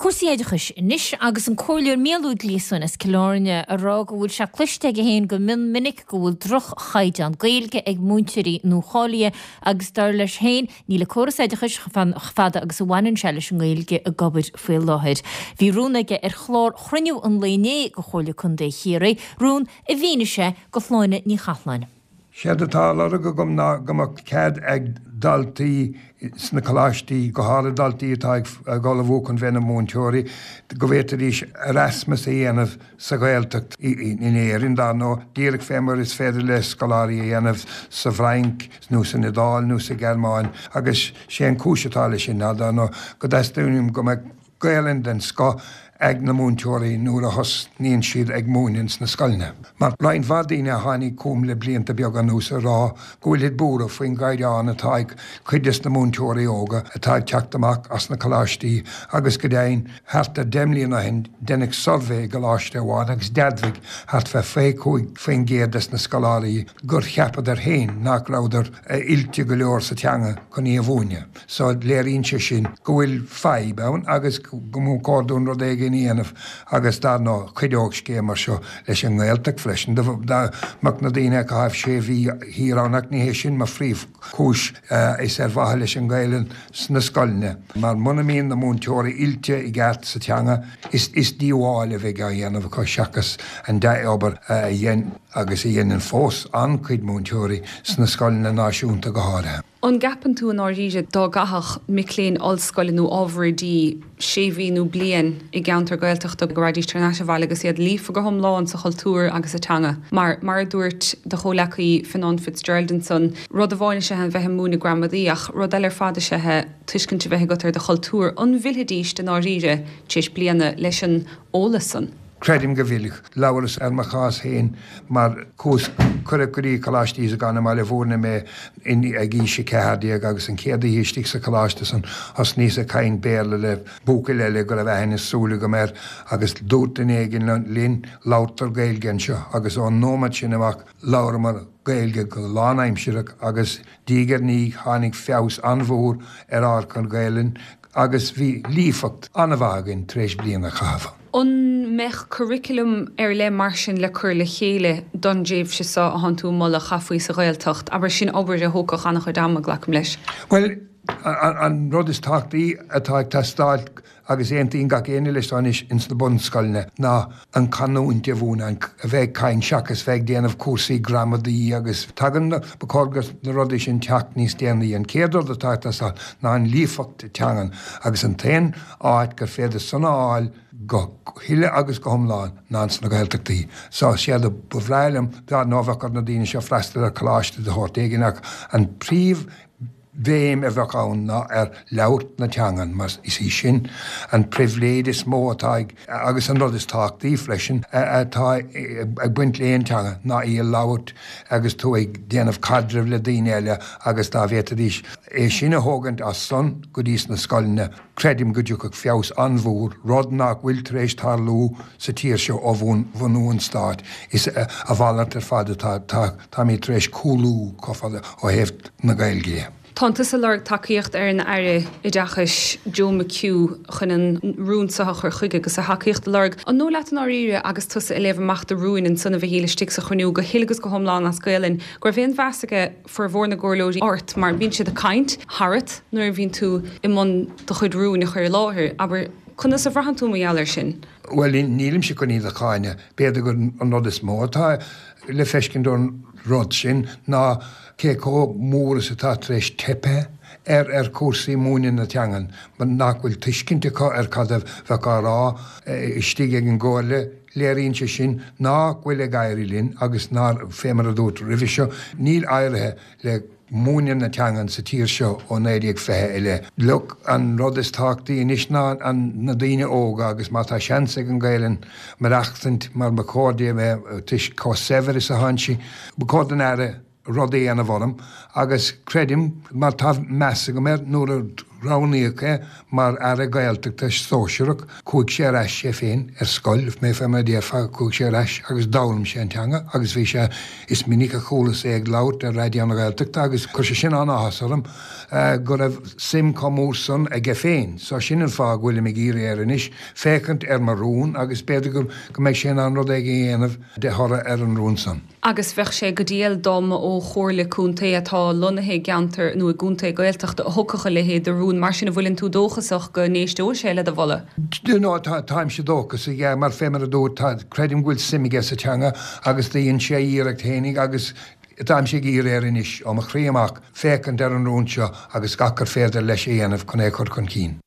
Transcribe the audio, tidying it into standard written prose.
Cúrsaí oideachais anois agus an Comhairleoir Mícheál Ó Gliosúin as Cill Airne ag rá go bhfuil sé cloiste aige féin go mion minic go bhfuil droch-chaighdeán Gaeilge ag múinteoirí nuacháilithe agus dar leis féin níl an córas oideachais chomh fada agus a bhaineann sé leis an nGaeilge ag obair faoi láthair. Bhí rún aige ar chlár chruinniú an lae inné de Chomhairle Contae Chiarraí, rún a mhínigh sé do Shláine Ní Chathláin. Séard atá á lorg agam ná go mbeadh cead ag daltaí sna coláistí, go háirithe daltaí atá ag ullmhú chun bheith ina múinteoirí, go bhféadfaidís Erasmus a dhéanamh sa Ghaeltacht, in Éirinn dar ndóigh, díreach fé mar is féidir le scoláirí a dhéanamh sa bhFrainc nó san Iodáil nó sa Ghearmáin. Agus sé an chúis atá leis sin ná dar ndóigh go dteastaíonn uaim go mbeadh Gaelainn den scoth ag na múinteoirí nuair a thosnaíonn siad ag múineadh sna scoileanna. Mar roinnt mhaith daoine a tháinig chugam le blianta beaga anuas a rá go bhfuilid buartha faoin gcaighdeán atá ag cuid des na múinteoirí óga atá ag teacht amach as na coláistí agus go deimhin thart ar 10 mbliana ó shin deineadh suirbhé i gcoláiste amháin agus d'admhaigh thart fé 25% des na scoláirí gur cheapadar féin nach rabhadar oilte go leor sa teanga chun í a mhúineadh. So léiríonn sé sin go bhfuil fadhb ann agus go mba chóir dúinn rud éigin a dhéanamh agus dar ndóigh chuideodh scéim mar seo leis an nGaeltacht freisin. Dá mbeadh na daoine ag caitheamh sé mhí thiar ann ach ní hé sin mo phríomhchúis, is ar mhaithe leis an Ghaelainn sna scoileanna mar muna mbíonn na múinteoirí oilte i gceart sa teanga is díobháil a bheidh á dhéanamh acu seachas an dea-obair a dhein agus a dhéanann fós an-chuid múinteoirí sna scoileanna náisiúnta go háirithe. An gceapann tú i ndáiríre dá gcaithfeadh mic léinn ollscoile nó ábhar oidí sé mhí nó bliain i gceantar Gaeltachta go raghaidís thar n-ais abhaile agus iad líofa go hiomlán sa chultúr agus sa teanga? Mar, mar a dúirt do chomhleacaí Fionnán Fitzgerald ansan, rud amháin is ea a bheith ag múineadh gramadaí ach rud eile ar fad is ea é tuiscint a bheith agat ar do chultúr. An bhfillfidís i ndáiríre tar éis bliana leis an eolas san? Creidim go bhfillfeadh. Labhras ar mo chás féin mar chuas, cuireadh go dtí Coláiste Íosagáin i mBaile Bhúirne mé ag aois 14 agus an chéad oíche istigh sa choláiste san thosnaíos ag caint Béarla le buachaill eile go raibh aithne is súil agam air agus dúirt duine éigin linn labhartar Gaeilge anseo agus ón nóiméad sin amach labhramar Gaeilge go lánaimsearach agus diaidh ar ndiaidh tháinig feabhas an-mhór ar ár gcuid Gaelainne agus bhí líofacht an-mhaith againn tar éis bliain a chaitheamh. An mbeadh curriculum ar leith mar sin le cur le chéile don dtréimhse seo a thánn tú ag moladh a chaithfí sa Ghaeltacht? Abair, sin obair a thógfadh an-chuid ama, glacaim leis. Bhuel, an rud is tábhachtaí atá ag teastáil, agus aontaíonn gach éinne leis seo anois ins na bunscoileanna, ná an chanúint a mhúineadh, a bheith ag caint seachas bheith ag déanamh cúrsaí gramadaí agus tagann na, ba chóir go na rudaí sin teacht níos déanaí. An chéad rud atá ag teastáil ná an líofacht teangan agus an t-aon áit gur féidir san a fháil go huile agus go hiomlán ná ins na Gaeltachtaí. So, séard a ba bhreá liom, dar ndóigh bheadh ar na daoine seo freastal ar choláiste de shórt éigin ach an príomh bhéim a bheadh ann ná ar labhairt na teangan mar is í sin an pribhléid is mó atá ag, agus an rud is tábhachtaí freisin, atá ag baint le aon teanga ná í a labhairt agus tú ag déanamh caidrimh le daoine eile agus dá bhféadfaidís é sin a thógaint as san go dtí sna scoileanna, creidim go dtiocfadh feabhas an-mhór, rud nach bhfuil tar éis tarlú sa tír seo ó bhunú an stáit. Is a mhalairt ar fad atá, táimid tar éis cúlú chomh fada ó thaobh na Gaeilge de. Tánn tusa ag lorg tacaíocht ar an Aire Oideachais Joe McHugh chun an rún seo a chur chuige agus a thacaíocht a lorg. An dóigh leat i ndáiríre agus tusa ag léamh amach do rúin ansan a Mhichíl istigh sa chruinniú go huile agus go hiomlán as Gaelainn go raibh aon mheas aige formhór na gcomhairleoirí ort mar bíonn siad ag caint tharat nuair a bhíonn tú i mbun do chuid rúin a chur i láthair. Abair, conas a bhraitheann tú mar gheall air sin? Bhuel, nílimse chun iad a cháineadh. B'fhéidir gur an rud is mó atá le feiscint ón rud sin ná cé chomh mór is atá tar éis teipthe ar ar chúrsaí múineadh na teangan, mar nach bhfuil tuiscint acu ar cad a bheadh á rá istigh ag an gComhairle. Léiríonn sé sin nach bhfuil ag éirí linn agus nár, fé mar a dúirt roimhe seo, níl éirithe le múineadh na teangan sa tír seo ó 1920 i leith. Look, an rud is tábhachtaí anois ná na daoine óga agus má tá seans ag an Ghaelainn maireachtaint mar ba chóir di a bheith toisc chomh saibhir is atánn sí, ba chóir don Aire rud a dhéanamh orm agus creidim, mar tá meas agam air, nuair a. roghnaíodh é mar Aire Gaeltachta sóisearach, chuaigh sé ar ais é féin ar scoil, mé fé mar a déarfá, chuaigh sé ar ais agus d'fhoghlaim sé an teanga agus bhí sé, is minic a chualas é ag labhairt ar Raidió na Gaeltachta agus chuir sé sin an-áthas orm go raibh suim chomh mór san aige féin. So sin an fáth go bhfuilim ag iarraidh air anois féachaint ar mo rún agus b'fhéidir go mbeidh sé in ann rud éigin a dhéanamh de thoradh ar an rún san. Agus bheadh sé go diail dá mba ó chomhairle contae atá lonnaithe i gceantar nó i gcontae Gaeltachta a thiocfadh a leithéid de rún. Mar sin, an bhfuileann tú dóchasach go n-éisteoidh sé le do mholadh? Do you know, tá, táimse dóchasach, yeah, mar fé mar a dúirt, tá, creidim go bhfuil suim aige sa teanga agus do dhein sé a iarracht fhéinig agus táimse ag iarraidh air anois, ó mo chroí amach, féachaint ar an rún seo agus gach gur féidir leis a dhéanamh chun é a chur chun cinn.